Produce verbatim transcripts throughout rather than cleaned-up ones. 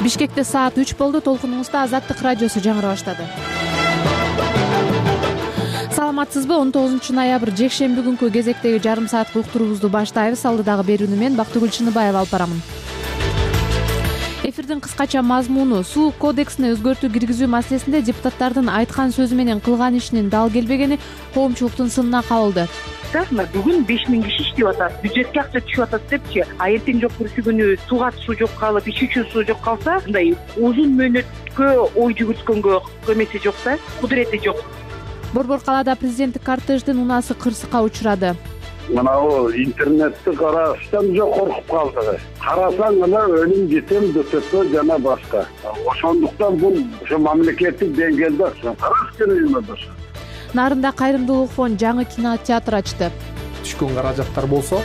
Бишкекте саат үч болду. Толкунуңузда Азаттык радиосу жаңыра баштады. Саламатсызбы? он тогузунчу ноябрь жекшемби күнкү кезектеги жарым сааттык уктуруубузду баштайбыз. Алдыдагы берүүнү мен Бактыгүл Чыныбаева алып барамын. Эфирдин кыскача мазмуну: суу кодексине өзгөртүү киргизүү маселесинде депутаттардын айткан сөзү менен кылган ишинин дал келбегени коомчулуктун сынына кабылды. Мына бүгүн беш миң киши иштеп атат, бюджетке акча түшүп атат депчи, а эртең жок бүрсү күнү сууга суу жок калып, ичүүчү суу жок калса, мындай узун мөөнөткө ой жүгүрткөнгө эмеси жок да, кудурети жок. Борбор калаада президенттик кортеждин унаасы кырсыкка учурады. Мынау интернетти караштан жок коркуп калдык. Карасаң гана өлүм жетем дөтөтө жана башка. Ошондуктан бул ошо мамлекеттик деңгээлде караш керек. Нарында кайрымдуулук фонд жаңы кинотеатр ачты. Түшкөн каражаттар болсо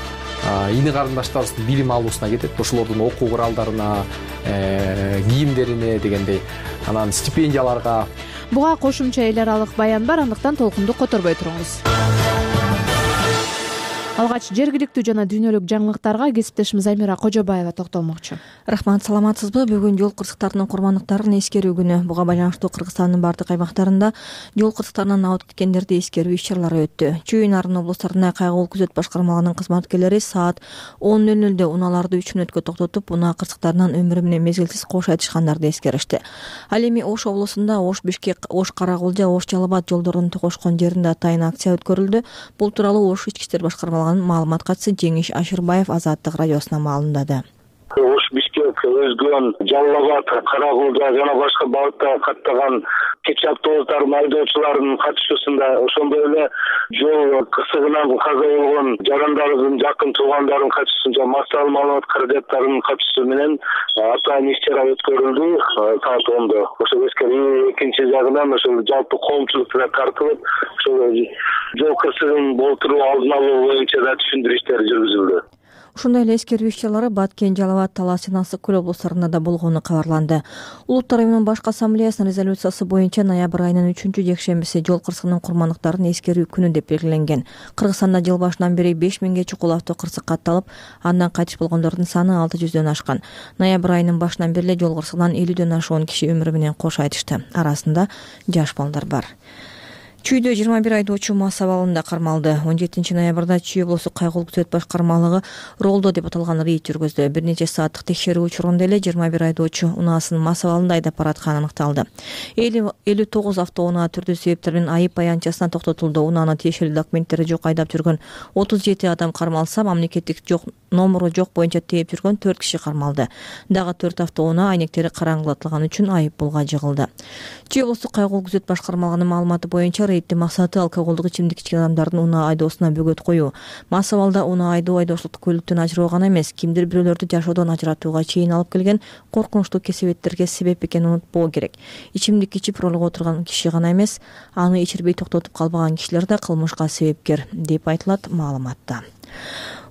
ини карындаштарыбыздын билим алуусуна кетет, ошолордун окуу куралдарына, кийимдерине дегендей, анан стипендияларга. Буга кошумча эл аралык баян бар, андыктан толкунду которбой туруңуз. Алгач жергиликтүү жана дүйнөлүк жаңылыктарга кесиптешим Замира Кожобаева токтолмокчу. Рахмат, саламатсызбы? Бүгүн жол кырсыктарынын курмандыктарын эскерүү күнү. Буга байланыштуу Кыргызстандын бардык аймактарында жол кырсыктарынан абыт кеткендерди эскерүү иш-чаралары өттү. Чүй Нарын облустарына кайгылуу күзөт башкармалыгынын кызматкерлери саат он нөл нөлдө унааларды үч мүнөткө токтотуп, унаа кырсыктарынан өмүрү менен мезгилсиз кош айтышкандарды эскеришти. Ал эми Ош облусунда Ош Бишкек, Ош Каракулжа, Ош Жалал Абад жолдорунун токошкон жеринде атайын акция өткөрүлдү. Бул тууралуу Ош ички иштер башкармалыгынын маалымат катчысы Жеңиш Ашырбаев Азаттык радиосуна маалымдады. Ош Бишкек, Өзгөн, Жалал Абад, Каракулжа жана башка багытта каттаган кечи автобустардын айдоочуларынын катышуусунда, ошондой эле жол кырсыгынан каза болгон жарандарыбыздын жакын туугандарынын катышуусунда массалык маалымат каражаттарынын катышуусу менен атайын иш-чара өткөрүлдү саат ондо. Ошол эскерүү экинчи жагынан ошол жалпы коомчулук менен тартылып, ошол жол кырсыгын болтуруу алдын алуу боюнча да түшүндүрүү иштери жүргүзүлдү. Ошондой эле эскерүү иш-чаралары Баткен, Жалал Абад, Талас жана Ысык Көл облустарында да болгону кабарланды. Улуттар уюмунун баш ассамблеясынын резолюциясы боюнча ноябрь айынын үчүнчү жекшембиси жол кырсыгынын курмандыктарын эскерүү күнү деп белгиленген. Кыргызстанда жыл башынан бери беш миңге чукул авто кырсык катталып, андан кайтыш болгондордун саны алты жүздөн ашкан. Ноябрь айынын башынан бери жол кырсыгынан элүүдөн ашуун киши өмүрү менен кош айтышты. Арасында жаш балдар бар. Чүйдө жыйырма бир айдоочу мас абалында кармалды. он жетинчи ноябрда Чүй облустук кайгылуу күзөт башкармалыгы Ролдо деп аталган рейд жүргөздү. Бир нече сааттык текшерүү учурунда эле жыйырма бир айдоочу унаасын мас абалында айдап баратканы аныкталды. элүү тогуз автоунаа түрдүү себептер менен айып аянтчасына токтотулду. Унаанын тиешелүү документтери жок айдап жүргөн отуз жети адам кармалса, мамлекеттик жок номуру жок боюнча тээп жүргөн төрт киши кармалды. Дагы төрт автоунаа айнектери караңгылатылган үчүн айып пулга жыгылды. Чүй облустук кайгылуу күзөт башкармалыгынын маалыматы боюнча рейддин максаты алкоголдук ичимдик ичкен адамдардын унаа айдоосуна бөгөт коюу. Мас абалда унаа айдоо айдоочулукту көлүктөн ажыроо гана эмес, кимдир бирөөлөрдү жашоодон ажыратууга чейин алып келген коркунучтуу кесепеттерге себеп экенин унутпоо керек. Ичимдик ичип ролго отурган киши гана эмес, аны ичирбей токтотуп калбаган кишилер да кылмышка себепкер деп айтылат маалыматта.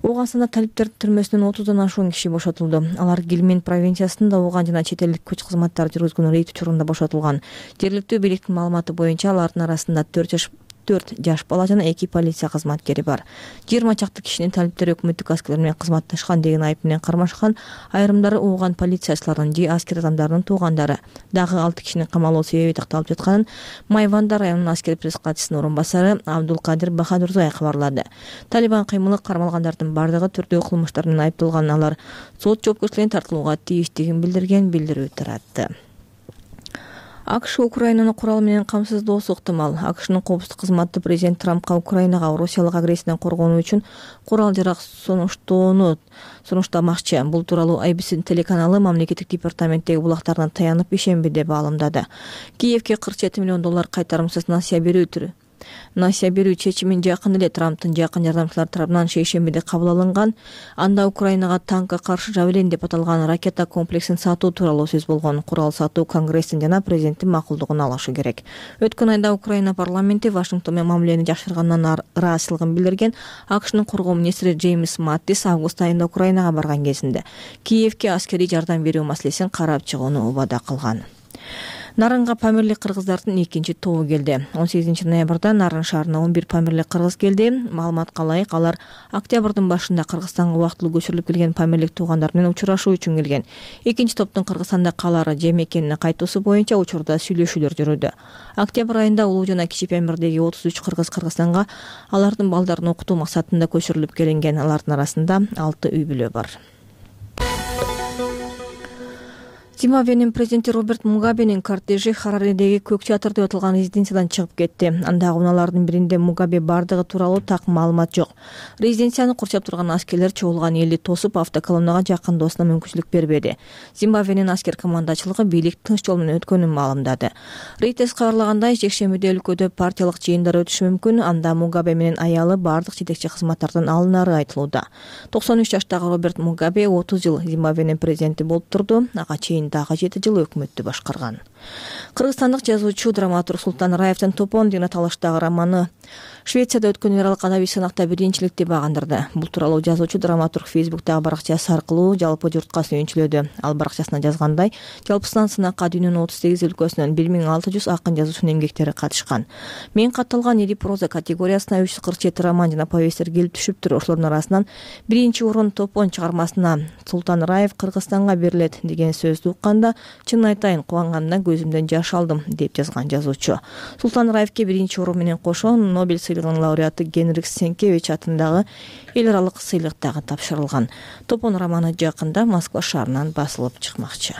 Ооганстанда талиптер түрмөсүнөн отуздан ашуун киши бошотулду. Алар Гилмен провинциясында Ооган жана чет элдик күч кызматтары жүргүзгөн рейд учурунда бошотулган. Жергиликтүү бийликтин маалыматы боюнча алардын арасында төрт жаш төрт жаш бала жана эки полиция кызматкери бар. жыйырма чакты кишинин талиптери өкмөттүк аскерлер менен кызматташкан деген айып менен кармашкан. Айрымдары Ооган полициячыларынын же аскер адамдарынын туугандары. Дагы алты кишинин камалуу себеби такталып жатканын Майванда районунун аскер пресс катчысынын орун басары Абдулкадир Бахадурзай кабарлады. Талибан кыймылы кармалгандардын бардыгы түрдүү кылмыштар менен айыпталган. Алар сот жоопкерчилигине тартылууга тийиштигин билдирген билдирүү таратты. АКШ Украинаны курал менен камсыздоосу ыктымал. АКШнын коопсуздук кызматы президент Трампка Украинага Россиялык агрессиядан коргонуу үчүн курал-жарак сунуштоону сунуштамакчы. Бул тууралуу эй би си телеканалы мамлекеттик департаменттеги булактарына таянып ишембиде маалымдады. Киевке кырк жети миллион доллар кайтарымсыз насыя берүү түрү насыя берүү чечимин жакын эле Трамптын жакын жардамчылары тарабынан шейшембиде кабыл алынган. Анда Украинага танкка каршы Жавелин деп аталган ракета комплексин сатуу тууралуу сөз болгон. Курал сатуу Конгресстин жана президенттин макулдугун алышы керек. Өткөн айда Украина парламенти Вашингтон менен мамилени жакшыргандан ыраазычылыгын билдирген. АКШнын коргоо министри Джеймс Маттис август айында Украинага барган кезинде Киевке аскерий жардам берүү маселесин карап чыгууну убада кылган. Нарынга памирлик кыргыздардын экинчи тобу келди. он сегизинчи ноябрда Нарын шаарына он бир памирлик кыргыз келди. Маалыматка ылайык, алар октябрдын башында Кыргызстанга убактылуу көчүрүлүп келген памирлик туугандар менен учурашуу үчүн келген. Экинчи топтун Кыргызстанда калаары же мекенине кайтуусу боюнча учурда сүйлөшүүлөр жүрүүдө. Октябрь айында Улуу жана Кичи Памирдеги отуз үч кыргыз Кыргызстанга алардын балдарын окутуу максатында көчүрүлүп келинген. Алардын арасында алты үй бүлө бар. Зимбабвенин президенти Роберт Мугабенин кортежи Хараридеги Көк театр деп аталган резиденциядан чыгып кетти. Андагы унаалардын биринде Мугабе бардыгы тууралуу так маалымат жок. Резиденцияны курчап турган аскерлер чогулган элди тосуп, автоколоннага жакындоосуна мүмкүнчүлүк бербеди. Зимбабвенин аскер командачылыгы бийлик тынч жол менен өткөнүн маалымдады. Рейтес кабарлагандай, жекшембиде өлкөдө партиялык жыйындар өтүшү мүмкүн. Анда Мугабе менен аялы бардык жетекчи кызматтардан алынары айтылууда. токсон үч жаштагы Роберт Мугабе отуз жыл Зимбабвенин президенти болуп турду. Ага чейин дагы жети жыл өкмөттү башкарган. Кыргызстандык жазуучу драматург Султан Раевдин Топон деген аталыштагы романы Швецияда өткөн миралык адабий сынакта биринчиликти багындырды. Бул тууралуу жазуучу драматург Фейсбуктагы баракчасы аркылуу жалпы журтка сүйүнчүлөдү. Ал баракчасына жазгандай, жалпысынан сынакка дүйнөнүн отуз сегиз өлкөсүнөн бир миң алты жүз акын жазуучунун эмгектери катышкан. Мен катталган эди проза категориясына үч жүз кырк жети роман жана повесттер келип түшүптүр. Ошолордун арасынан биринчи орун Топон чыгармасына Султан Раев Кыргызстанга берилет деген сөздү укканда, чын айтайын, кубанганымдан көзүмдөн жаш алдым деп жазган жазуучу. Султан Раевке биринчи орун менен кошо Нобель сыйлыгынын лауреаты Генрих Сенкевич атындагы эл аралык сыйлык дагы тапшырылган. Топон романы жакында Москва шаарынан басылып чыкмакчы.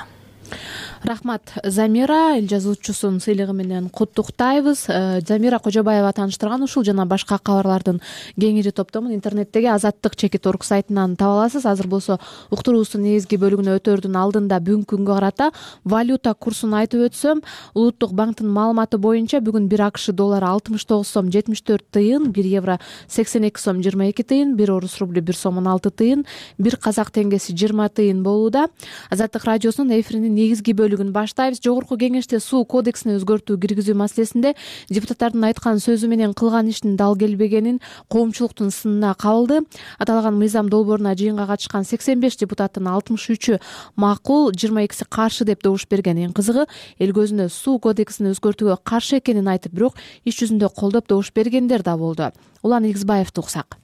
Рахмат, Замира. Эл жазуучусун сыйлыгы менен куттуктайбыз. Замира Кожобаева тааныштырган ушул жана башка кабарлардын кеңири топтомун интернеттеги азаттык чекит орг сайтынан таба аласыз. Азыр болсо уктуруубуздун негизги бөлүгүнө өтөрдүн алдында бүгүнкү күнгө карата валюта курсун айтып өтсөм, Улуттук банктын маалыматы боюнча бүгүн бир АКШ доллары алтымыш тогуз сом жетимиш төрт тыйын, бир евро сексен эки сом жыйырма эки тыйын, бир орус рублю бир сом он алты тыйын, бир казак теңгеси жыйырма тыйын болууда. Азаттык радиосунун эфиринин негизги бөлүгүн баштайбыз. Жогорку кеңеште суу кодексине өзгөртүү киргизүү маселесинде депутаттардын айткан сөзү менен кылган ишинин дал келбегенин коомчулуктун сынына кабылды. Аталган мыйзам долбооруна жыйынга катышкан сексен беш депутаттын алтымыш үчү макул, жыйырма экиси каршы деп добуш берген. Эң кызыгы, эл көзүнө суу кодексин өзгөртүүгө каршы экенин айтып, бирок иш жүзүндө колдоп добуш бергендер да болду. Улан Игизбаевди уксак.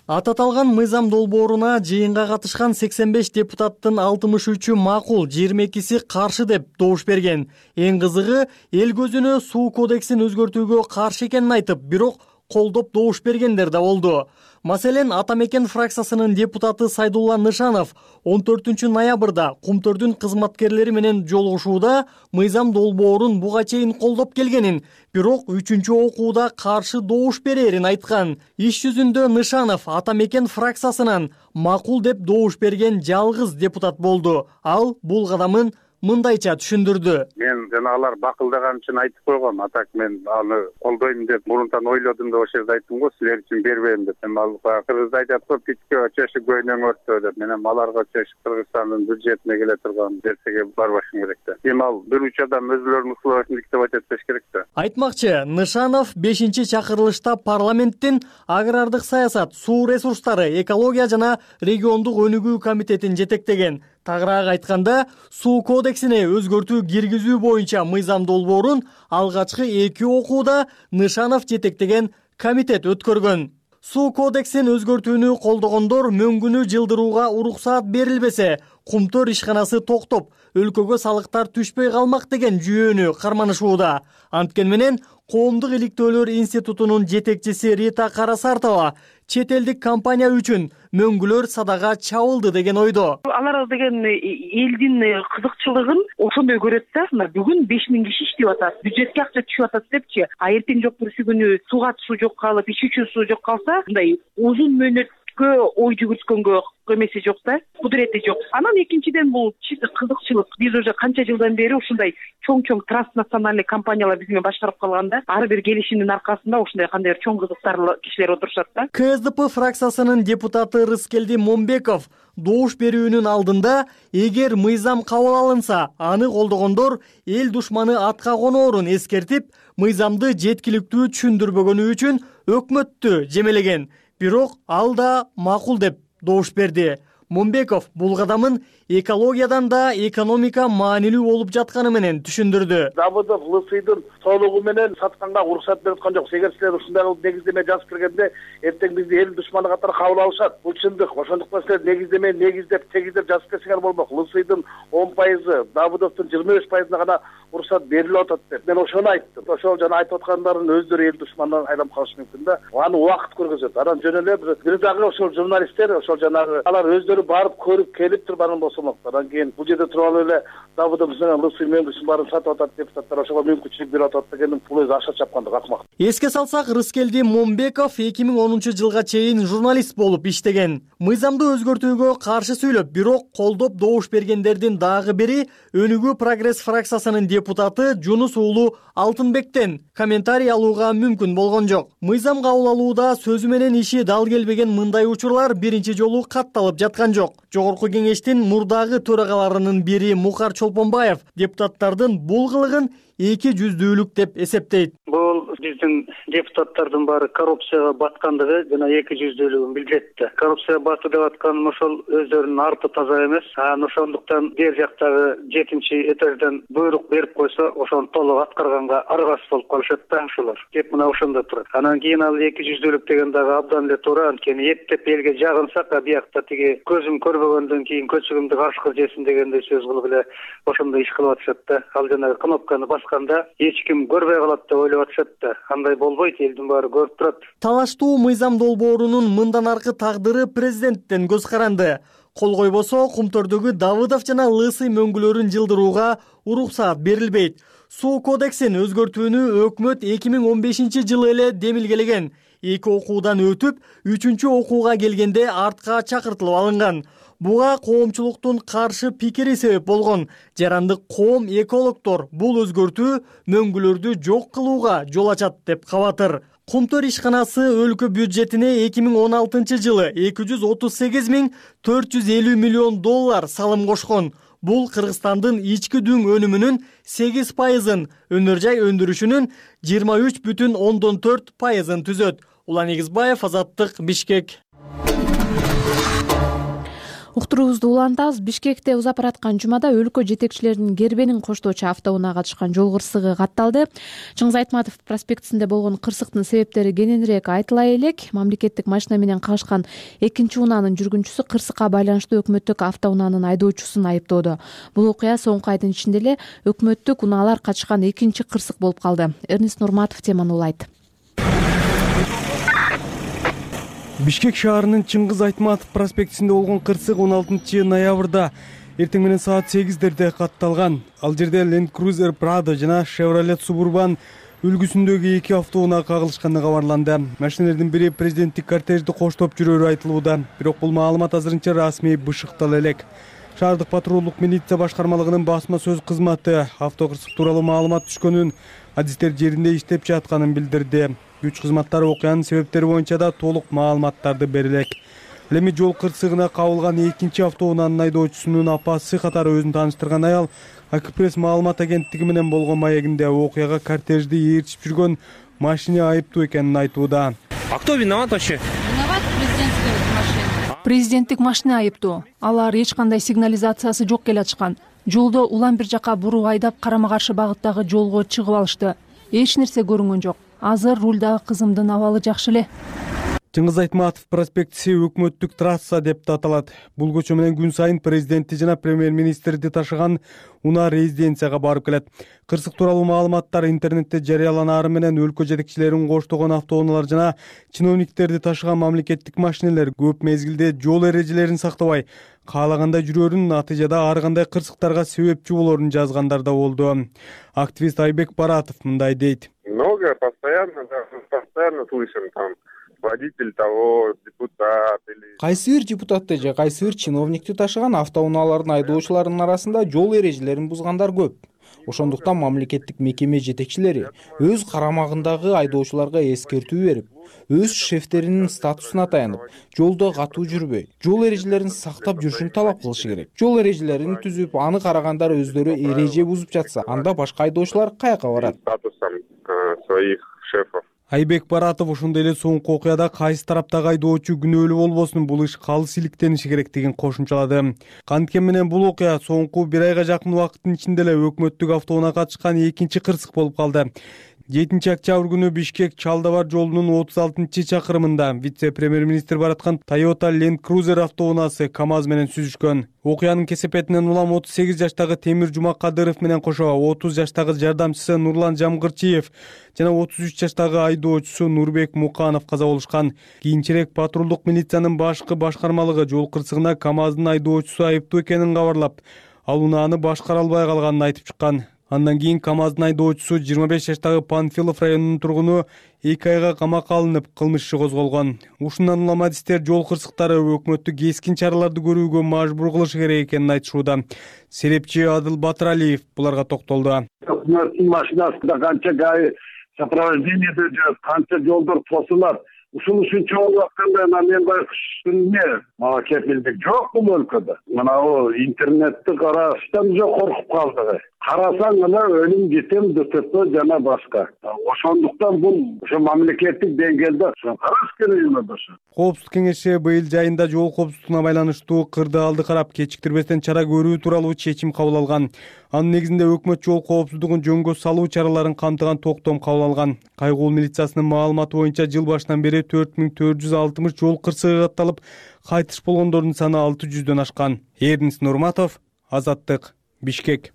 Ататалган мыйзам долбооруна жыйынга катышкан сексен беш депутаттын алтымыш үчү макул, жыйырма экиси каршы деп добуш берген. Эң кызыгы, эл көзүнө суу кодексин өзгөртүүгө каршы экенин айтып, бирок колдоп добуш бергендер да болду. Маселен, Ата Мекен фракциясынын депутаты Сайдулла Нышанов он төртүнчү ноябрда Кумтөрдүн кызматкерлери менен жолугушууда мыйзам долбоорун буга чейин колдоп келгенин, бирок үчүнчү окууда каршы добуш берерин айткан. Иш жүзүндө Нышанов Ата Мекен фракциясынан макул деп добуш берген жалгыз депутат болду. Ал бул кадамын мындайча түшүндүрдү. Мен жана алар бакылдаган үчүн айтып койгом. Атак мен аны колдойм деп мурунтан ойлодум деп ошол жерде айттым го, силер үчүн бербейм деп. Эми ал кыргызда айтат го, питке чөшү көйнөң өрттө деп. Мен эми аларга чөшү Кыргызстандын бюджетине келе турган нерсеге барбашым керек да. Эми ал бир үч адам өзүлөрүнүн условиясын диктовать этпеш керек да. Айтмакчы, Нышанов бешинчи чакырылышта парламенттин агрардык саясат, суу ресурстары, экология жана региондук өнүгүү комитетин жетектеген. Тагыраак айтканда, суу кодексине өзгөртүү киргизүү боюнча мыйзам долбоорун алгачкы эки окууда Нышанов жетектеген комитет өткөргөн. Суу кодексин өзгөртүүнү колдогондор мөңгүнү жылдырууга уруксаат берилбесе, Кумтөр ишканасы токтоп, өлкөгө салыктар түшпөй калмак деген жүйөнү карманышууда. Анткени менен Коомдук иликтөөлөр институтунун жетекчиси Рита Карасартова чет элдик компания үчүн мөңгүлөр садага чабылды деген ойдо. Алар деген элдин кызыкчылыгын ошондой көрөт да. Мына бүгүн беш миң киши иштеп атат, бюджетке акча түшүп атат депчи, а эртең жок бүрсү күнү сууга суу жок калып, ич үчүн суу жок калса, мындай узун мөөнөткө ой жүгүрткөнгө эмеси жок да, кудурети жок. Анан экинчиден бул чисто кызыкчылык. Биз уже канча жылдан бери ушундай чоң-чоң транснациональный компаниялар биз менен башкарып калганда, ар бир келишимдин аркасында ушундай кандайдыр чоң кызыктарлы кишилер отурушат да. КСДП фракциясынын депутаты Рыскелди Момбеков добуш берүүнүн алдында, эгер мыйзам кабыл алынса, аны колдогондор эл душманы атка коноорун эскертип, мыйзамды жеткиликтүү түшүндүрбөгөнү үчүн өкмөттү жемелеген. Бирок ал да макул деп добуш берди. Момбеков бул кадамын экологиядан да экономика маанилүү болуп жатканы менен түшүндүрдү. Давыдов Лысыйдын соолугу менен сатканга уруксат берип аткан жок. Эгер силер ушундай кылып негиздеме жазып киргенде эртең бизди эл душманы катары кабыл алышат. Бул чындык. Ошондуктан силер негиздеме негиздеп тегиздеп жазып берсеңер болмок. Лысыйдын он пайызы, Давыдовдун жыйырма беш пайызына гана уруксат берилип атат деп. Мен ошону айттым. Ошол жана айтып аткандардын өздөрү эл душманынан айланып калышы мүмкүн да. Аны убакыт көргөзөт. Анан жөн эле бир дагы ошол журналисттер, ошол жанагы алар өздөрү барып көрүп келип турбаган болсомок. Анан кийин бул жерде туруп алып эле Давыдов менен Лысый мөңгүсүн баарын сатып атат депутаттар, ошого мүмкүнчүлүк берип атат дегенин бул өзү аша чапкандык акмак. Эске салсак, Рыскелди Момбеков эки миң онунчу жылга чейин журналист болуп иштеген. Мыйзамды өзгөртүүгө каршы сүйлөп, бирок колдоп добуш бергендердин дагы бири Өнүгүү прогресс фракциясынын депутаты Жунус уулу Алтынбектен комментарий алууга мүмкүн болгон жок. Мыйзам кабыл алууда сөзү менен иши дал келбеген мындай учурлар биринчи жолу катталып жаткан жок. Жогорку кеңештин мурдагы төрагаларынын бири Мухар Чолпонбаев депутаттардын бул кылыгын эки жүздүүлүк деп эсептейт. Бул биздин депутаттардын баары коррупцияга баткандыгы жана эки жүздүүлүгүн билдирет. Коррупцияга батты деп атканым ошол өздөрүнүн арты таза эмес. Анан ошондуктан бер жактагы жетинчи этаждан буйрук берип койсо, ошону толук аткарганга аргасыз болуп калышат да ошолор. Кеп мына ошондо турат. Анан кийин ал эки жүздүүлүк деген дагы абдан эле туура. Анткени эптеп элге жагынсак, а биякта тиги көзүм көрбөгөндөн кийин көчүгүмдү карышкы жесин дегендей сөз кылып эле ошондой иш кылып атышат да. Ал жанагы кнопканы басканда эч ким көрбөй калат деп ойлоп атышат да. Андай болбойт, элдин баары көрүп турат. Талаштуу мыйзам долбоорунун мындан аркы тагдыры президенттен көз каранды. Кол койбосо Кумтөрдөгү Давыдов жана Лысый мөңгүлөрүн жылдырууга уруксаат берилбейт. Суу кодексин өзгөртүүнү өкмөт эки миң он бешинчи жылы эле демилгелеген. Эки окуудан өтүп, үчүнчү окууга келгенде артка чакыртылып алынган. Буга коомчулуктун каршы пикири себеп болгон. Жарандык коом экологдор бул өзгөртүү мөңгүлөрдү жок кылууга жол ачат деп кабатыр. Кумтөр ишканасы өлкө бюджетине эки миң он алтынчы жылы эки жүз отуз сегиз миң төрт жүз элүү миллион доллар салым кошкон. Бул Кыргызстандын ички дүң өнүмүнүн сегиз пайызын, өнөр жай өндүрүшүнүн жыйырма үч бүтүн ондон төрт пайызын түзөт. Улан Эгизбаев, Азаттык, Бишкек. Уктуруубузду улантабыз. Бишкекте узап бараткан жумада өлкө жетекчилеринин Гербенин коштоочу автоунаа катышкан жол кырсыгы катталды. Чыңгыз Айтматов проспектисинде болгон кырсыктын себептери кененирээк айтыла элек. Мамлекеттик машина менен кагышкан экинчи унаанын жүргүнчүсү кырсыкка байланыштуу өкмөттүк автоунаанын айдоочусун айыптоодо. Бул окуя соңку айдын ичинде эле өкмөттүк унаалар катышкан экинчи кырсык болуп калды. Эрнест Нурматов теманы улайт. Бишкек шаарынын Чыңгыз Айтматов проспектисинде болгон кырсык он алтынчы ноябрда эртең менен саат сегиздерде катталган. Ал жерде Land Cruiser Prado жана Chevrolet Suburban үлгүсүндөгү эки автоунаа кагылышканы кабарланды. Машиналардын бири президенттик кортежди коштоп жүрөрү айтылууда. Бирок бул маалымат азырынча расмий бышыктала элек. Шаардык патрулдук милиция башкармалыгынын басма сөз кызматы автокырсык тууралуу маалымат түшкөнүн, адистер жеринде иштеп жатканын билдирди. Күч кызматтары окуянын себептери боюнча да толук маалыматтарды бере элек. Ал эми жол кырсыгына кабылган экинчи автоунаанын айдоочусунун апасы катары өзүн тааныштырган аял Акпресс маалымат агенттиги менен болгон маегинде окуяга кортежди ээрчип жүргөн машина айыптуу экенин айтууда. А кто виноват вообще? Виноват президентская машина. Президенттик машина айыптуу. Алар эч кандай сигнализациясы жок келатышкан. Жолдо улам бир жака буруп айдап карама каршы багыттагы жолго чыгып алышты. Эч нерсе көрүнгөн жок. Азыр рулдагы кызымдын абалы жакшы эле. Чыңгыз Айтматов проспектиси өкмөттүк трасса деп аталат. Бул көчө менен күн сайын президентти жана премьер-министрди ташыган унаа резиденцияга барып келет. Кырсык тууралуу маалыматтар интернетте жарыяланаары менен өлкө жетекчилерин коштогон автоунаалар жана чиновниктерди ташыган мамлекеттик машинелер көп мезгилде жол эрежелерин сактабай, каалагандай жүрөрүн, натыйжада ар кандай кырсыктарга себепчи болорун жазгандар да болду. Активист Айбек Баратов мындай дейт. Много, постоянно, постоянно слышим там. Водитель того, депутат или... Кайсы бир депутатты же кайсы бир чиновникти ташыган автоунаалардын айдоочуларынын арасында жол эрежелерин бузгандар көп. Ошондуктан мамлекеттик мекеме жетекчилери өз карамагындагы айдоочуларга эскертүү берип, өз шефтеринин статусуна таянып, жолдо катуу жүрбөй, жол эрежелерин сактап жүрүшүн талап кылышы керек. Жол эрежелерин түзүп, аны карагандар өздөрү эреже бузуп жатса, анда башка айдоочулар каяка барат? Статусом своих шефов. Айбек Баратов ошондой эле соңку окуяда кайсы тараптагы айдоочу күнөөлүү болбосун бул иш калыс иликтениши керектигин кошумчалады. Канткен менен бул окуя соңку бир айга жакын убакыттын ичинде эле өкмөттүк автоунаа катышкан экинчи кырсык болуп калды. жетинчи октябрь күнү Бишкек Чалдабар жолунун отуз алтынчы чакырымында вице-премьер-министр бараткан Toyota Land Cruiser автоунаасы КамАЗ менен сүзүшкөн. Окуянын кесепетинен улам отуз сегиз жаштагы Темир Жумакадыров менен кошо отуз жаштагы жардамчысы Нурлан Жамгырчиев жана отуз үч жаштагы айдоочусу Нурбек Муканов каза болушкан. Кийинчерээк патрулдук милициянын башкы башкармалыгы жол кырсыгына КамАздын айдоочусу айыптуу экенин кабарлап, ал унааны башкара албай калганын айтып чыккан. Андан кийин КамАздын айдоочусу жыйырма беш жаштагы Панфилов районунун тургуну эки айга камакка алынып, кылмыш иши козголгон. Ушундан улам адистер жол кырсыктары өкмөттү кескин чараларды көрүүгө мажбур кылышы керек экенин айтышууда. Серепчи Адыл Батыралиев буларга токтолду. Өкмөттүн машинасында канча гай сопровождениеде жүрөт, канча жолдор тосулат. Ушул ушунча болуп атканда мен байкуштун эмне мага кепилдик жок бул өлкөдө. Мына интернетти караштан уже коркуп калдык. Карасаң эле өлүм жетем ДТП жана башка. Ошондуктан бул ошо мамлекеттик деңгээлде караш керек эмес ошо. Коопсуздук кеңеши быйыл жайында жол коопсуздугуна байланыштуу кырдаалды карап кечиктирбестен чара көрүү тууралуу чечим кабыл алган. Анын негизинде өкмөт жол коопсуздугун жөнгө салуу чараларын камтыган токтом кабыл алган. Кайгуул милициясынын маалыматы боюнча жыл башынан бери төрт миң төрт жүз алтымыш жол кырсыгы катталып, кайтыш болгондордун саны алты жүздөн ашкан. Эрдинс Нурматов, Азаттык, Бишкек.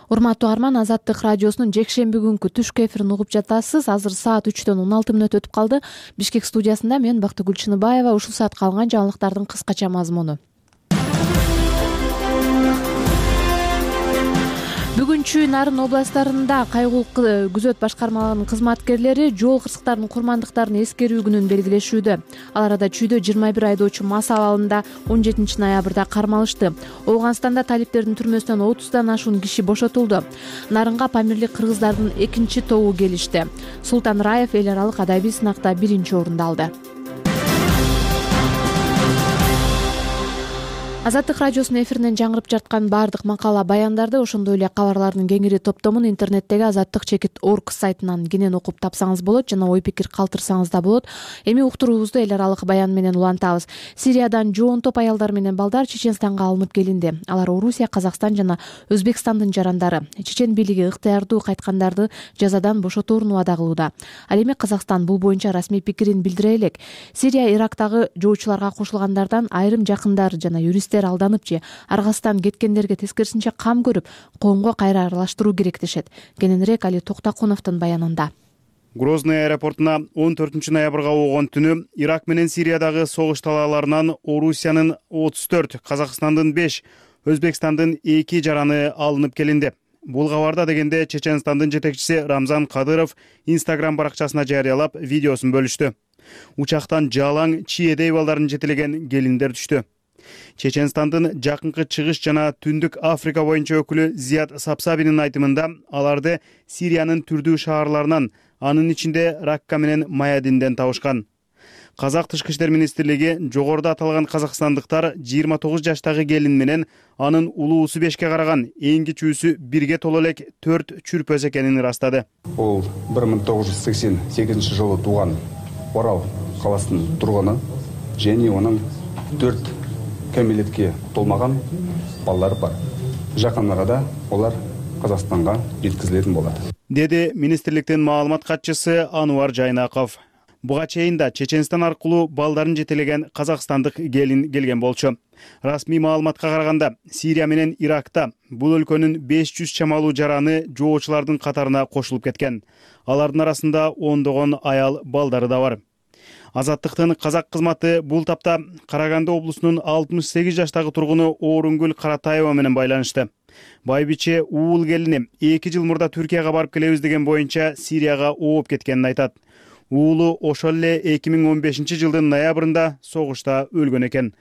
Урматтуу Арман, Азаттык радиосунун жекшемби күнкү түшкү эфирин угуп жатасыз. Азыр саат үчтөн он алты мүнөт өтүп калды. Бишкек студиясында мен Бактыгүл Чыныбаева. Ушул саатка алган жаңылыктардын кыскача мазмуну. Бүгүнчү Нарын областарында кайгуул күзөт башкармаларынын кызматкерлери жол кырсыктарынын курмандыктарын эскерүү күнүн белгилешүүдө. Ал арада Чүйдө жыйырма бир айдоочу мас абалында он жетинчи ноябрда кармалышты. Ооганстанда талиптердин түрмөсүнөн отуздан ашуун киши бошотулду. Нарынга памирлик кыргыздардын экинчи тобу келишти. Султан Раев эл аралык адабий сынакта биринчи орунду алды. Азаттык радиосунун эфиринен жаңырып жаткан баардык макала баяндарды, ошондой эле кабарлардын кеңири топтомун интернеттеги азаттык чекит орг сайтынан кенен окуп тапсаңыз болот жана ой пикир калтырсаңыз да болот. Эми уктуруубузду эл аралык баян менен улантабыз. Сириядан жоон топ аялдар менен балдар Чеченстанга алынып келинди. Алар Орусия, Казакстан жана Өзбекстандын жарандары. Чечен бийлиги ыктыярдуу кайткандарды жазадан бошотоорун убада кылууда. Ал эми Казакстан бул боюнча расмий пикирин билдире элек. Сирия Ирактагы жоочуларга кошулгандардан айрым жакындар жана юристтер алданып же Аргастан кеткендерге тескерисинче кам көрүп, коомго кайра аралаштыруу керек дешет. Кененирээк Али Токтакуновдун баянында. Грозный аэропортуна он төртүнчү ноябрга болгон түнү Ирак менен Сириядагы согуш талааларынан Орусиянын отуз төрт, Казакстандын беш, Өзбекстандын эки жараны алынып келинди. Бул кабарда дегенде Чеченстандын жетекчиси Рамзан Кадыров Instagram баракчасына жарыялап видеосун бөлүштү. Учактан жалаң чиедей балдарын жетелеген келиндер түштү. Чеченстандын жакынкы чыгыш жана түндүк Африка боюнча өкүлү Зият Сапсабинин айтымында аларды Сириянын түрдүү шаарларынан, анын ичинде Ракка менен Маядинден табышкан. Казак тышкы иштер министрлиги жогоруда аталган казакстандыктар жыйырма тогуз жаштагы келин менен анын улуусу бешке караган эң кичүүсү бирге толо элек төрт чүрпөз экенин ырастады. Ол бир миң тогуз жүз сексен сегизинчи жылы тууган Орал каласынын тургуну және онун төрт кәмелетке толмаган балдары бар. Жакын арада олар Казакстанга жеткизилетін болот, деди министрликтин маалымат катчысы Ануар Жайнаков. Буга чейин да Чеченстан аркылуу балдарын жетелеген казакстандык келин келген болчу. Расмий маалыматка караганда, Сирия менен Иракта бул өлкөнүн беш жүз чамалуу жараны жоочулардын катарына кошулуп кеткен. Алардын арасында ондогон аял балдары да бар. Азаттыктын казак кызматы бул тапта Караганды облусунун алтымыш сегиз жаштагы тургуну Орунгүл Каратаева менен байланышты. Байбиче уул келини эки жыл мурда Түркияга барып келебиз деген боюнча Сирияга ооп кеткенин айтат. Уулу ошол эле эки миң он бешинчи жылдын ноябрында согушта өлгөн экен.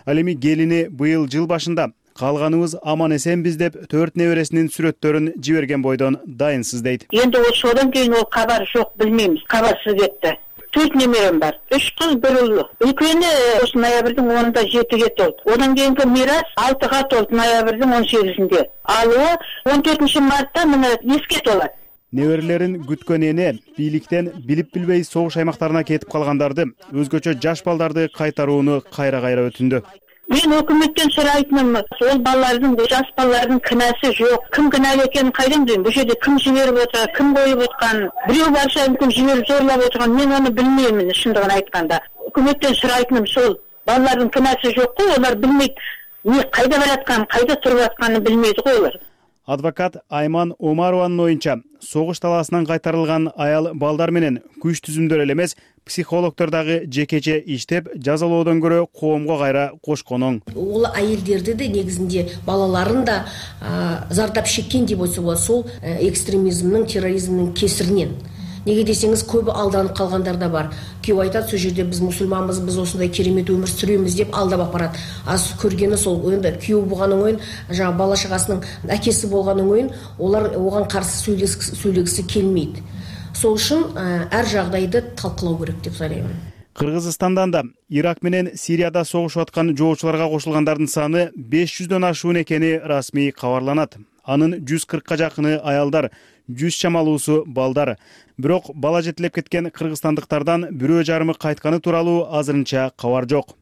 Ал эми келини быйыл жыл башында калганыбыз аман эсенбиз деп төрт небересинин сүрөттөрүн жиберген бойдон дайынсыз дейт. Эndi ошодон кийин ол кабар жок, билмеймиз. Кабарсыз кетти. Төрт немерем бар. Үч кыз, бир уул. Экөөнү ошо ноябрдын онунда жетиге толду. Одан кийинки мирас алтыга толду ноябрдын он сегизинде. Ал он төртүнчү мартта мына эске толот. Неберелерин күткөн эне бийликтен билип билбей согуш аймактарына кетип калгандарды, өзгөчө жаш балдарды кайтарууну кайра кайра өтүндү. Мен өкмөттөн сурайтыным, ол балалардын, жаш балалардын кынасы жок. Ким кыналуу экенин кайдан билем? Бул жерде ким жиберип отурат, ким коюп аткан, бирөө барса мүмкүн жиберип зорлоп отурган, мен аны билбеймин чындыгын айтканда. Өкмөттөн сурайтыным сол, балалардын кынасы жок го, олар билмейт, эмне кайда баратканын, кайда туруп атканын билмейт го олар. Адвокат Айман Омарованын оюнча, согуш талаасынан кайтарылган аял балдар менен күч түзүмдөр эле эмес, психологдор дагы жекече иштеп, жазалоодон көрө коомго кайра кошкон оң. Ол айелдерди де негизинде балаларын да зардап шеккен деп айтса болот, сол экстремизмдин, терроризмдин кесиринен. Неге десеңиз, көбү алданып калгандар да бар. Күйөө айтат, сол жерде биз мусулманбыз, биз осундай керемет өмүр сүрөбүз деп алдап апарат. Аз көргени сол, енді күйөө болгонун оюн, жана бала чагасынын акеси болгонун оюн, олар оган каршы сүйлөгүсү келмейт. Сол үчүн ар жагдайды талкылоо керек деп ойлойм. Кыргызстандан да Ирак менен Сирияда согушуп аткан жоочуларга кошулгандардын саны беш жүздөн ашуун экени расмий кабарланат. Анын жүз кыркка жакыны аялдар, жүз чамалуусу балдар. Бирок бала жетелеп кеткен кыргызстандыктардан бирөө жарымы кайтканы тууралуу азырынча кабар жок.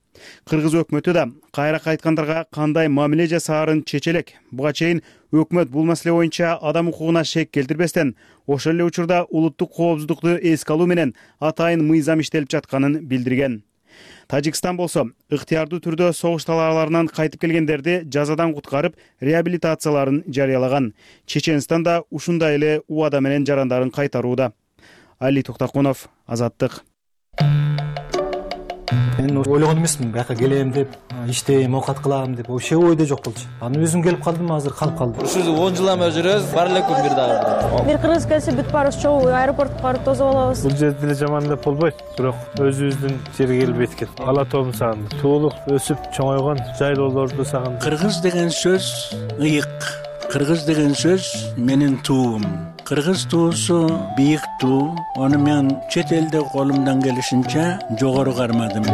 Кыргыз өкмөтү да кайра кайткандарга кандай мамиле жасаарын чече элек. Буга чейин өкмөт бул маселе боюнча адам укугуна шек келтирбестен, ошол эле учурда улуттук коопсуздукту эске алуу менен атайын мыйзам иштелип жатканын билдирген. Тажикстан болсо ыктыярдуу түрдө согуш талааларынан кайтып келгендерди жазадан куткарып, реабилитацияларын жарыялаган. Чеченстан да ушундай эле убада менен жарандарын кайтарууда. Али Токтокунов, Азаттык. Мен ойлогон эмесмин, бияка келем деп, иштейм, оокат кылам деп, вообще ойдо жок болчу. Анан өзүм келип калдым, азыр калып калдым. Ушул он жыл эме жүрөбүз, бар эле күн бир дагы. Бир кыргыз келсе бүт баарыбыз чогуу аэропортко барып тосуп алабыз. Бул жерде деле жаман деп болбойт, бирок өзүбүздүн жерге келип эткет. Ала тоом сагындым. Туулук, өсүп чоңойгон жайлоолорду сагындым. Кыргыз деген сөз ыйык. Кыргыз деген сөз менин туум. Кыргыз туусу бийик туу. Аны мен чет элде колумдан келишинче жогору кармадым.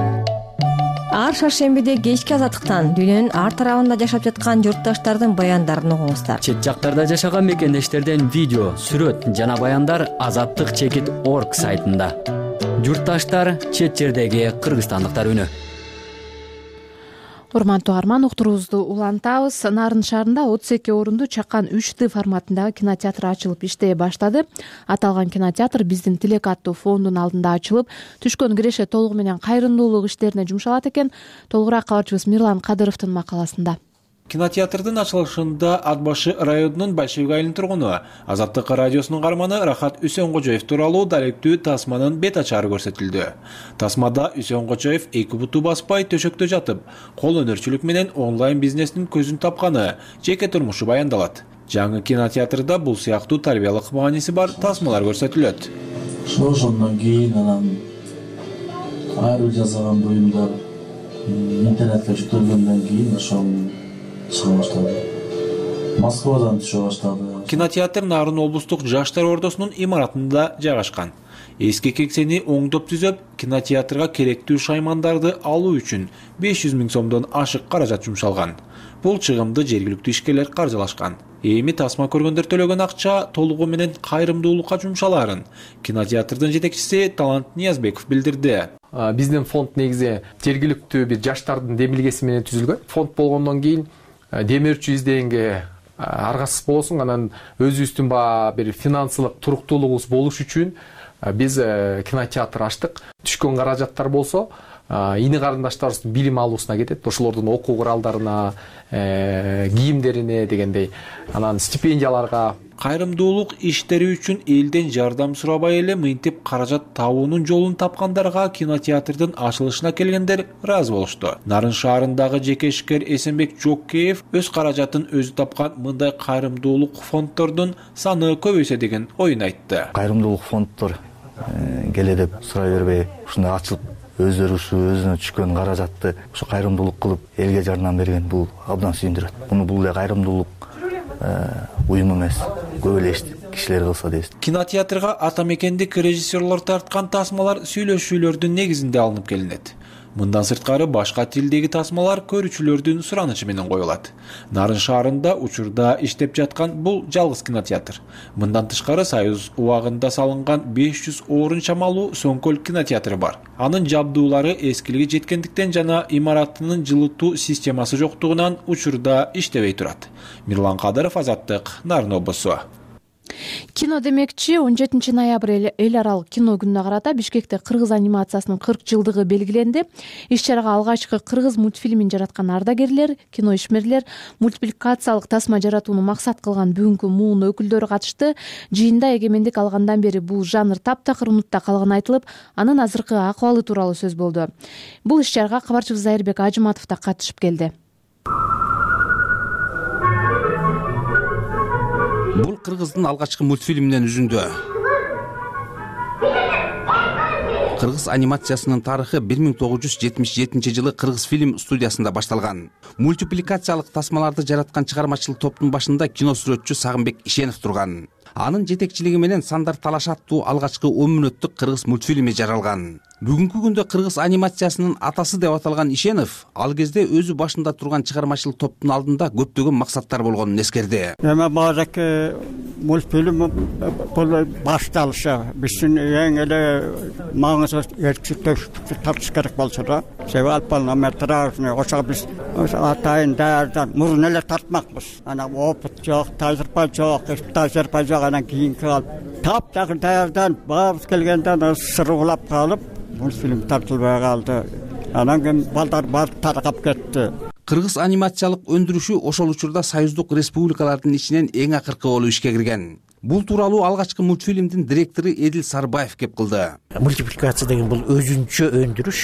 Ар шаршембиде кечки азаттыктан дүйнөнүн ар тарабында жашап жаткан журтташтардын баяндарын угуңуздар. Чет жактарда жашаган мекендештерден видео, сүрөт жана баяндар азаттык чекит орг сайтында. Журтташтар, чет жердеги кыргызстандыктар үнү. Урматтуу угарман, уктуруубузду улантабыз. Нарын шаарында отуз эки орунду чакан үч д форматындагы кинотеатр ачылып иштей баштады. Аталган кинотеатр биздин Тилек аттуу фондун алдында ачылып, түшкөн киреше толугу менен кайрымдуулук иштерине жумшалат экен. Толугураак кабарчыбыз Мирлан Кадыровдун макаласында. Кинотеатрдын ачылышында Ат башы районунун Большевик айылынын тургуну, Азаттык радиосунун каарманы Рахат Үсөнгожоев тууралуу даректүү тасманын бет ачары көрсөтүлдү. Тасмада Үсөнгожоев эки буту баспай төшөктө жатып, кол өнөрчүлүк менен онлайн бизнестин көзүн тапканы, жеке турмушу баяндалат. Жаңы кинотеатрда бул сыяктуу тарбиялык мааниси бар тасмалар көрсөтүлөт. Ошондон кийин анан ар бир жасаган буюмдар интернетке жүктөлгөндөн кийин ошол чыга баштады. Москвадан түшө баштады. Кинотеатр Нарын облустук жаштар ордосунун имаратында жайгашкан. Эски кеңсени оңдоп түзөп, кинотеатрга керектүү шаймандарды алуу үчүн беш жүз миң сомдон ашык каражат жумшалган. Бул чыгымды жергиликтүү ишкерлер каржылашкан. Эми тасма көргөндөр төлөгөн акча толугу менен кайрымдуулукка жумшалаарын кинотеатрдын жетекчиси Талант Ниязбеков билдирди. Биздин фонд негизи жергиликтүү бир жаштардын демилгеси менен түзүлгөн. Фонд болгондон кийин демирчү издегенге аргасыз болосуң, анан өзүбүздүн бир финансылык туруктуулугубуз болуш үчүн биз кинотеатр ачтык. Түшкөн каражаттар болсо ини карындаштарыбыздын билим алуусуна кетет. Ошолордун окуу куралдарына, кийимдерине дегендей, анан стипендияларга. Кайрымдуулук иштери үчүн элден жардам сурабай эле мынтип каражат табуунун жолун тапкандарга кинотеатрдын ачылышына келгендер ыраазы болушту. Нарын шаарындагы жеке ишкер Эсенбек Жоккеев өз каражатын өзү тапкан мындай кайрымдуулук фонддордун саны көбөйсө деген оюн айтты. Кайрымдуулук фонддор келе деп сурай бербей, ушундай ачылып өздөрү ушу өзүнө түшкөн каражатты ушу кайрымдуулук кылып элге жардам берген бул абдан сүйүндүрөт. Муну бул эле кайрымдуулук уюм эмес, көп эле кишилер кылса дейбиз. Кинотеатрга ата мекендик режиссерлор тарткан тасмалар сүйлөшүүлөрдүн негизинде алынып келинет. Мындан сырткары башка тилдеги тасмалар көрүүчүлөрдүн суранычы менен коюлат. Нарын шаарында учурда иштеп жаткан бул жалгыз кинотеатр. Мындан тышкары Союз убагында салынган беш жүз орун чамалуу Соңкөл кинотеатры бар. Анын жабдуулары эскилиги жеткендиктен жана имаратынын жылытуу системасы жоктугунан учурда иштебей турат. Мирлан Кадыров, Азаттык, Нарын облусу. Кино демекчи он жетинчи ноябрь эл аралык кино күнүнө карата Бишкекте кыргыз анимациясынын кырк жылдыгы белгиленди. Иш-чарага алгачкы кыргыз мультфильмин жараткан ардагерлер, кино ишмерлер, мультипликациялык тасма жаратууну максат кылган бүгүнкү муун өкүлдөрү катышты. Жыйында эгемендик алгандан бери бул жанр таптакыр унутта калганы айтылып, анын азыркы акыбалы тууралуу сөз болду. Бул иш-чарага кабарчыбыз Айырбек Ажыматов да катышып келди. Бул кыргыздын алгачкы мультфильминен үзүндү. Кыргыз анимациясынын тарыхы бир миң тогуз жүз жетимиш жетинчи жылы Кыргыз фильм студиясында башталган. Мультипликациялык тасмаларды жараткан чыгармачыл топтун башында кино сүрөтчү Сагынбек Ишенов турган. Анын жетекчилиги менен Сандар Талаш аттуу алгачкы он мүнөттүк кыргыз мультфильми жаралган. Бүгүнкү күндө кыргыз анимациясынын атасы деп аталган Ишенов ал кезде өзү башында турган чыгармачыл топтун алдында көптөгөн максаттар болгонун эскерди. Эми базаркы мультфильм бул башталышы биздин эң эле маңызды эркчиликти тартыш керек болчу да. Себеби алпалметражный ошо биз атайын даярдан мурун эле тартмакпыз. Ана опыт жок, тажрыйба жок, тажрыйба жок, анан кийинки алып таптакыр даярдан баарыбыз келгенде сыргылап калып мультфильм тартылбай калды. Анан кийин балдар барып таркап кетти. Кыргыз анимациялык өндүрүшү ошол учурда союздук республикалардын ичинен эң акыркы болуп ишке кирген. Бул тууралуу алгачкы мультфильмдин директору Эдил Сарбаев кеп кылды. Мультипликация деген бул өзүнчө өндүрүш.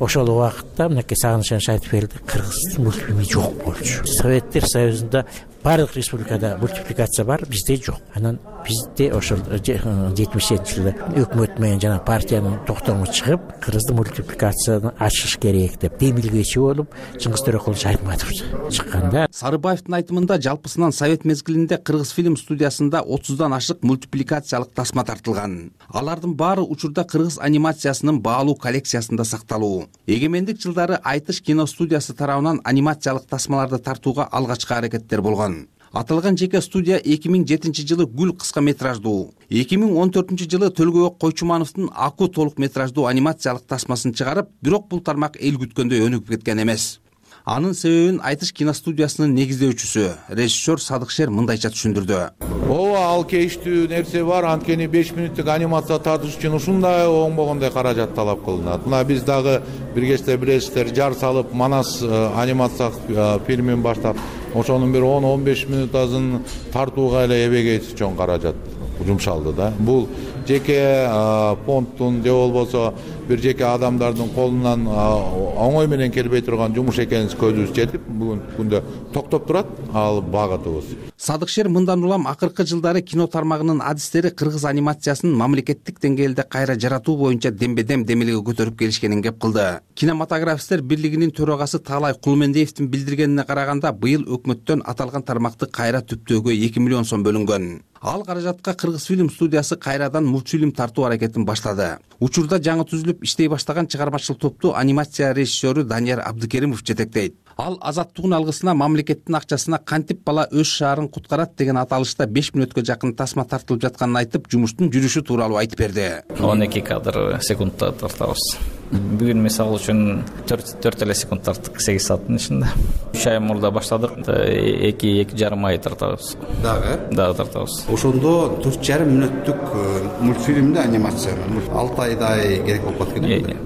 Ошол убакытта мынакей Сагыныч Аниш айтып берди, кыргыздын мультфильми жок болчу. Советтер Союзунда барлык республикада мультипликация бар, бизде жок. Анан бизде ошол жетимиш жетинчи жылы өкмөт менен жана партиянын токтому чыгып, кыргыздын мультипликацияны ачыш керек деп демилгечи болуп, Чыңгыз Төрөкулович Айтматов чыкканда. Сарыбаевдин айтымында жалпысынан совет мезгилинде Кыргыз фильм студиясында отуздан ашык мультипликациялык тасма тартылган. Алардын баары учурда кыргыз анимациясынын баалуу коллекциясында сакталуу. Эгемендик жылдары Айтыш кино студиясы тарабынан анимациялык тасмаларды тартууга алгачкы аракеттер болгон. Аталган жеке студия эки миң жетинчи жылы Гүл кыска метраждуу, эки миң он төртүнчү жылы Төлгөбек Койчумановдун Аку толук метраждуу анимациялык тасмасын чыгарып, бирок бул тармак эл күткөндөй өнүгүп кеткен эмес. Анын себебин Айтыш киностудиясынын негиздөөчүсү, режиссер Садыкшер мындайча түшүндүрдү. Ооба, ал кейиштүү нерсе бар, анткени беш мүнөттүк анимация тартыш үчүн ушундай оңбогондой каражат талап кылынат. Мына биз дагы бир кечте билесиздер, жар салып Манас анимация фильмин баштап, ошонун бир он он беш мүнөтасын тартууга эле эбегейсиз чоң каражат жумшалды да. Бул жеке фондтун же болбосо бир жеке адамдардын колунан оңой менен келбей турган жумуш экенин көзүбүз жетип, бүгүнкү күндө токтоп турат ал багытыбыз. Садыкшер мындан улам акыркы жылдары кино тармагынын адистери кыргыз анимациясынын мамлекеттик деңгээлде кайра жаратуу боюнча дембедем демилге көтөрүп келишкенин кеп кылды. Кинематографисттер бирлигинин төрагасы Таалай Кулмендиевдин билдиргенине караганда, быйыл өкмөттөн аталган тармакты кайра түптөөгө эки миллион сом бөлүнгөн. Ал каражатка Кыргыз фильм студиясы кайрадан мультфильм тартуу аракетин баштады. Учурда жаңы түзүлүп иштей баштаган чыгармачыл топту анимация режиссеру Данияр Абдыкеримов жетектейт. Ал азаттыгын алгысына мамлекеттин акчасына кантип бала өз шаарын куткарат деген аталышта беш мүнөткө жакын тасма тартылып жатканын айтып, жумуштун жүрүшү тууралуу айтып берди. он эки кадр секундта тартабыз. Бүгүн мисалы үчүн төрт эле секунд тарттык, сегиз сааттын ичинде. үч ай мурда баштадык, эки эки жарым ай тартабыз. Дагы? Дагы тартабыз. Ошондо төрт жарым мүнөттүк мультфильмди анимацияны алты айдай керек болуп калат экен.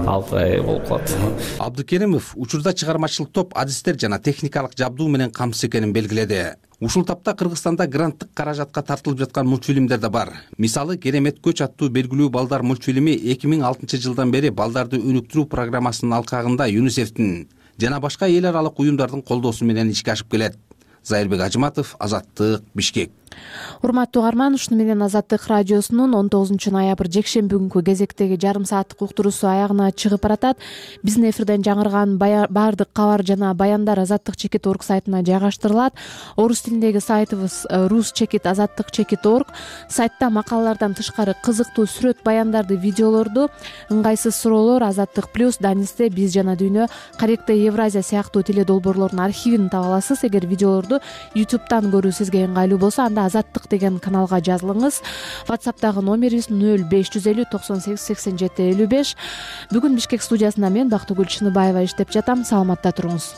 алты ай болуп калат. Абдыкеримов учурда чыгармачыл топ адистер жана техникалык жабдуу менен камсыз экенин белгиледи. Ушул тапта Кыргызстанда гранттык каражатка тартылып жаткан мультфильмдер да бар. Мисалы, Керемет көч аттуу белгилүү балдар мультфильми эки миң алтынчы жылдан бери балдарды өнүктүрүү программасынын алкагында ЮНИСЕФтин жана башка эл аралык уюмдардын колдоосу менен ишке ашып келет. Зайырбек Ажыматов, Азаттык, Бишкек. урматтуу угарман, ушуну менен Азаттык радиосунун он тогузунчу ноябрь жекшемби күнкү кезектеги жарым сааттык уктуруусу аягына чыгып баратат. Биздин эфирден жаңырган баардык кабар жана баяндар азаттык чекит точка орг сайтына жайгаштырылат. Орус тилиндеги сайтыбыз рус чекит азаттык чекит точка орг. Сайтта макалалардан тышкары кызыктуу сүрөт, баяндарды, видеолорду, ыңгайсыз суроолор, Азаттык плюс, Данисте, Биз жана Дүйнө, Каректе, Евразия сыяктуу теле долбоорлордун архивин таба аласыз. Эгер видеолорду ютубтан көрүү сизге ыңгайлуу болсо, анда Азаттык деген каналга жазылыңыз. WhatsApp'тагы номерибиз нөл беш жүз элүү токсон сегиз сексен жети элүү беш. Бүгүн Бишкек студиясында мен Бактыгүл Чыныбаева иштеп жатам. Саламатта туруңуз.